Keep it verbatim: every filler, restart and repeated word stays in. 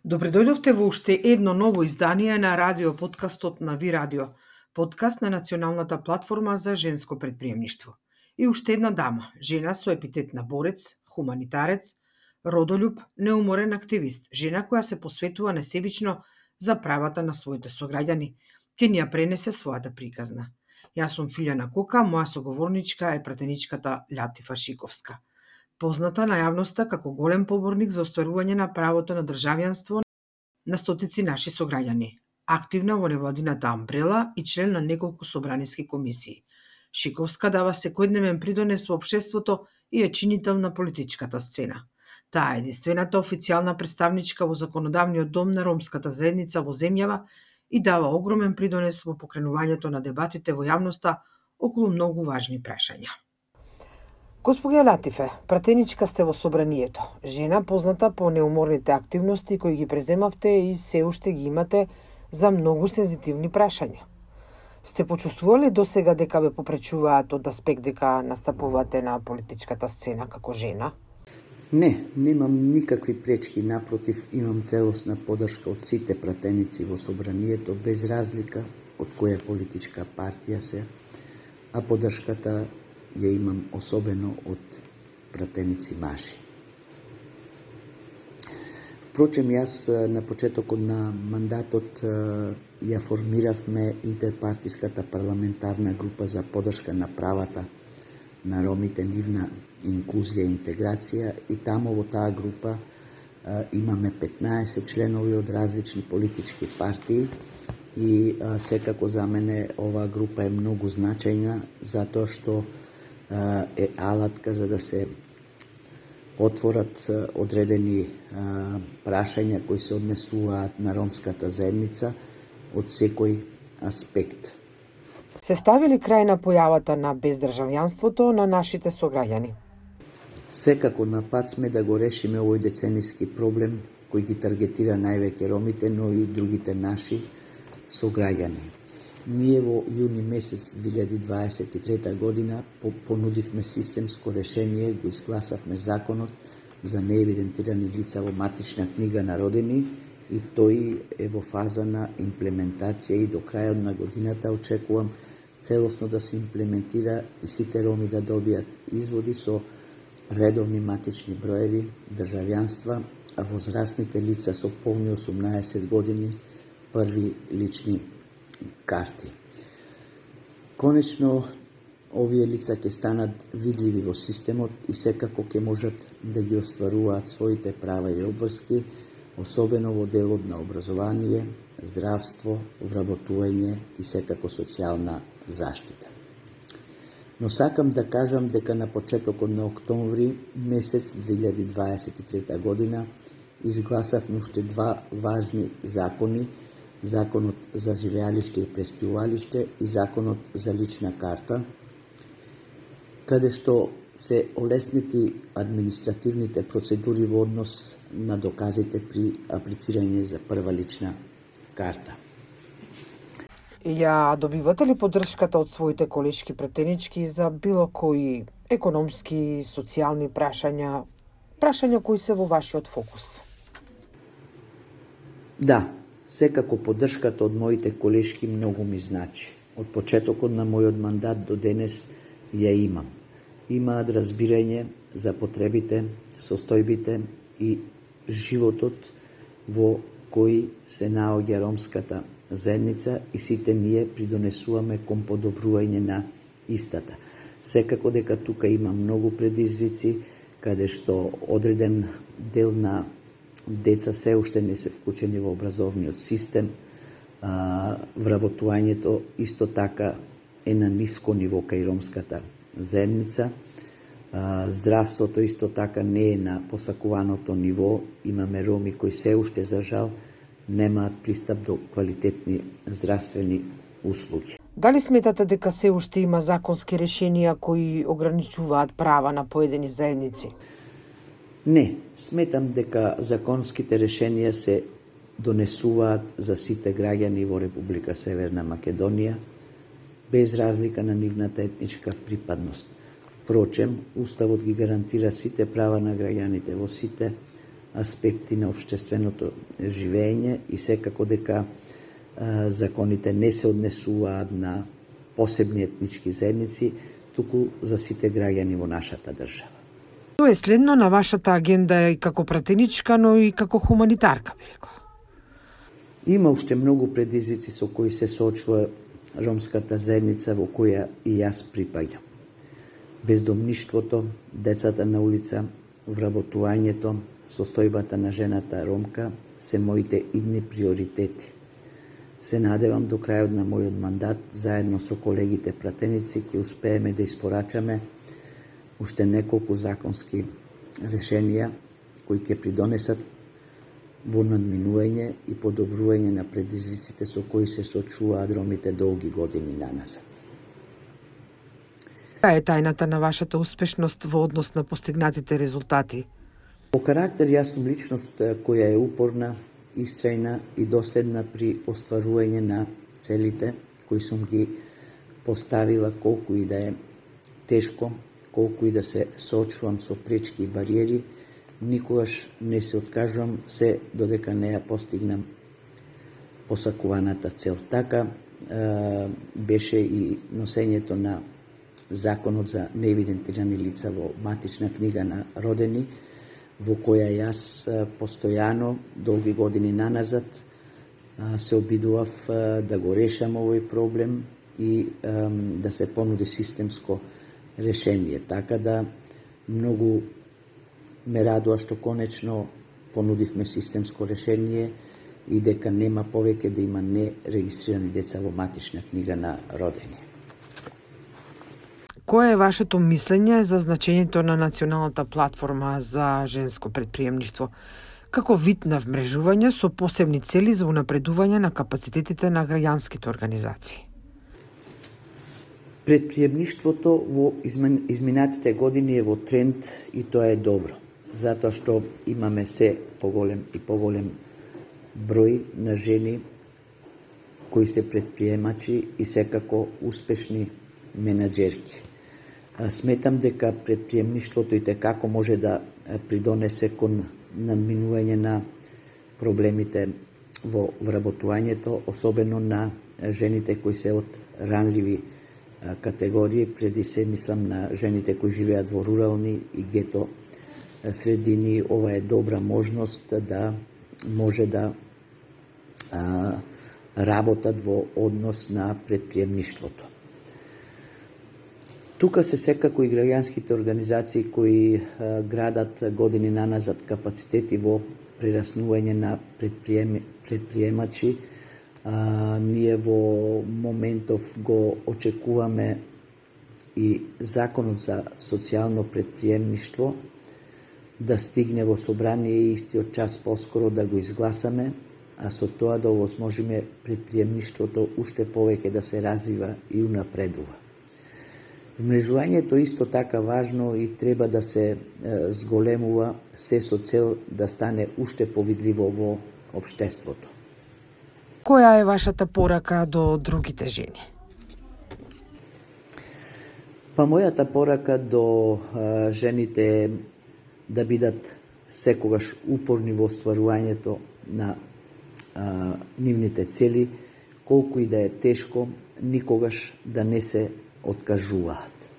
Добре дојдовте во уште едно ново издание на радио подкастот на Ви Радио, подкаст на националната платформа за женско предприемништво. И уште една дама, жена со епитет на борец, хуманитарец, родолюб, неуморен активист, жена која се посветува несебично за правата на своите сограѓани, ќе ни ја пренесе својата приказна. Јас сум Филјана Кока, моја соговорничка е пратеничката Латифа Шиковска, позната на јавноста како голем поборник за остварување на правото на државјанство на стотици наши сограѓани, активна во невладината Амбрела и член на неколку собраниски комисии. Шиковска дава секојдневен придонес во општеството и е чинител на политичката сцена. Таа е единствената официјална представничка во законодавниот дом на ромската заедница во земјава и дава огромен придонес во покренувањето на дебатите во јавноста околу многу важни прашања. Господја Латифе, пратеничка сте во собранието, жена позната по неуморните активности кои ги преземавте и се уште ги имате за многу сензитивни прашања. Сте почувствувале досега дека ве попречуваат од аспект дека настапувате на политичката сцена како жена? Не, немам никакви пречки, напротив, имам целосна поддршка од сите пратеници во собранието, без разлика од која политичка партија се, а поддршката ја имам особено од пратеници мажи. Впрочем, јас на почетокот на мандатот ја формиравме интерпартиската парламентарна група за поддршка на правата на ромите, нивна инклузија и интеграција, и таму во таа група имаме петнаесет членови од различни политички партии и секако за мене оваа група е многу значајна затоа што е алатка за да се отворат одредени прашања кои се однесуваат на ромската заедница од секој аспект. Се ставили крај на појавата на бездржавјанството на нашите сограѓани? Секако на пат сме да го решиме овој децениски проблем кој ги таргетира највеќе ромите, но и другите наши сограѓани. Ние во јуни месец две илјади дваесет и трета година понудивме системско решение, го изгласавме законот за неевидентирани лица во матична книга на родени и тој е во фаза на имплементација и до крајот на годината очекувам целосно да се имплементира и сите роми да добијат изводи со редовни матични броеви, државјанства, а возрастните лица со полни осумнаесет години први лични карти. Конечно, овие лица ќе станат видливи во системот и секако ќе можат да ги остваруваат своите права и обврски, особено во делот на образование, здравство, вработување и секако социјална заштита. Но сакам да кажам дека на почетокот на октомври месец две илјади дваесет и трета година изгласавме уште два важни закони, Законот за живеалиште и престижувалиште и Законот за лична карта, каде што се олеснети административните процедури во однос на доказите при аплицирање за прва лична карта. Ја добивате ли поддршката од своите колешки пратенички за било кои економски, социјални прашања, прашања кои се во вашиот фокус? Да, секако поддршката од моите колешки многу ми значи. Од почетокот на мојот мандат до денес ја имам. Имаат разбирање за потребите, состојбите и животот во кој се наоѓа ромската заедница и сите ние придонесуваме кон подобрување на истата. Секако дека тука има многу предизвици, каде што одреден дел на деца се уште не се вклучени во образовниот систем, а, вработувањето исто така е на ниско ниво кај ромската заедница, а, здравството исто така не е на посакуваното ниво, имаме роми кои се уште за жал немаат пристап до квалитетни здравствени услуги. Дали сметате дека се уште има законски решенија кои ограничуваат права на поедини заедници? Не, сметам дека законските решенија се донесуваат за сите граѓани во Република Северна Македонија, без разлика на нивната етничка припадност. Впрочем, Уставот ги гарантира сите права на граѓаните во сите аспекти на општественото живење и секако дека а, законите не се однесуваат на посебни етнички заедници, туку за сите граѓани во нашата држава. Тоа е следно на вашата агенда и како пратеничка, но и како хуманитарка, би рекла. Има уште многу предизвици со кои се соочува ромската заедница во која и јас припаѓам. Бездомништвото, децата на улица, вработувањето, состојбата на жената ромка се моите идни приоритети. Се надевам до крајот на мојот мандат, заедно со колегите пратеници, ќе успееме да испорачаме уште неколку законски решенија кои ќе придонесат во надминување и подобрување на предизвиците со кои се соочуваат ромите долги години наназад. Која е тајната на вашата успешност во однос на постигнатите резултати? По карактер јас сум личност која е упорна, истрајна и доследна при остварување на целите кои сум ги поставила, колку и да е тешко, колку и да се соочувам со пречки и бариери, никогаш не се откажувам се додека не ја постигнам посакуваната цел. Така е, беше и носењето на Законот за неевидентирани лица во матична книга на родени, во која јас постојано, долги години наназад, се обидував да го решам овој проблем и да се понуди системско решение. Така да многу ме радува што конечно понудивме системско решение и дека нема повеќе да има нерегистрирани деца во матична книга на родени. Кое е вашето мислење за значењето на националната платформа за женско предприемништво како вид на вмрежување со посебни цели за унапредување на капацитетите на граѓанските организации? Предприемништвото во изминатите години е во тренд и тоа е добро, затоа што имаме се поголем и поголем број на жени кои се предприемачи и секако успешни менаџерки. Сметам дека предприемништвото и текако може да придонесе кон надминување на проблемите во вработувањето, особено на жените кои се од ранливи категории, преди се мислам на жените кои живеат во рурални и гето средини. Ова е добра можност да може да а, работат во однос на предприемништвото. Тука се секако и граѓанските организации кои а, градат години наназад капацитети во прераснување на предприем, предприемачи. А, ние во моментов го очекуваме и Законот за социјално предприемништво да стигне во собрание и истиот час поскоро да го изгласаме, а со тоа да овозможиме предприемништвото уште повеќе да се развива и унапредува. Вмрежувањето исто така важно и треба да се е, зголемува се со цел да стане уште повидливо во општеството. Која е вашата порака до другите жени? Па мојата порака до а, жените е да бидат секогаш упорни во остварувањето на а, нивните цели, колку и да е тешко, никогаш да не се откажуваат.